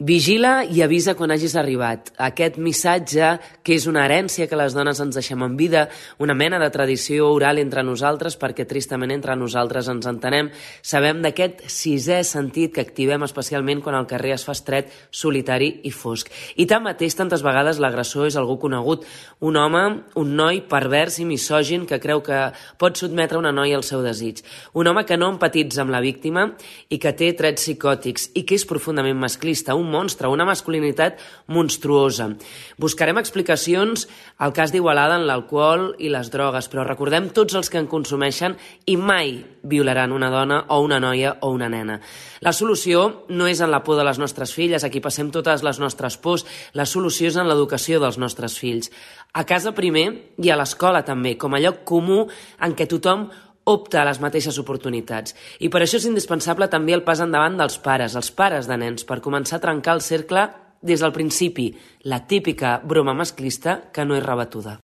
Vigila i avisa quan hagis arribat. Aquest missatge, que és una herència que les dones ens deixem en vida, una mena de tradició oral entre nosaltres, perquè tristament entre nosaltres ens entenem, sabem d'aquest sisè sentit que activem especialment quan el carrer es fa estret, solitari i fosc. I tanmateix, tantes vegades l'agressor és algú conegut, un home, un noi pervers i misògin que creu que pot sotmetre una noia al seu desig. Un home que no empatitza amb la víctima i que té trets psicòtics i que és profundament masclista, un monstre, una masculinitat monstruosa. Buscarem explicacions al cas d'Igualada en l'alcohol i les drogues, però recordem tots els que en consumeixen i mai violaran una dona o una noia o una nena. La solució no és en la por de les nostres filles, aquí passem totes les nostres pors, la solució és en l'educació dels nostres fills. A casa primer i a l'escola també, com a lloc comú en què tothom opta a les mateixes oportunitats. I per això és indispensable també el pas endavant dels pares, els pares de nens, per començar a trencar el cercle des del principi, la típica broma masclista que no és rebatuda.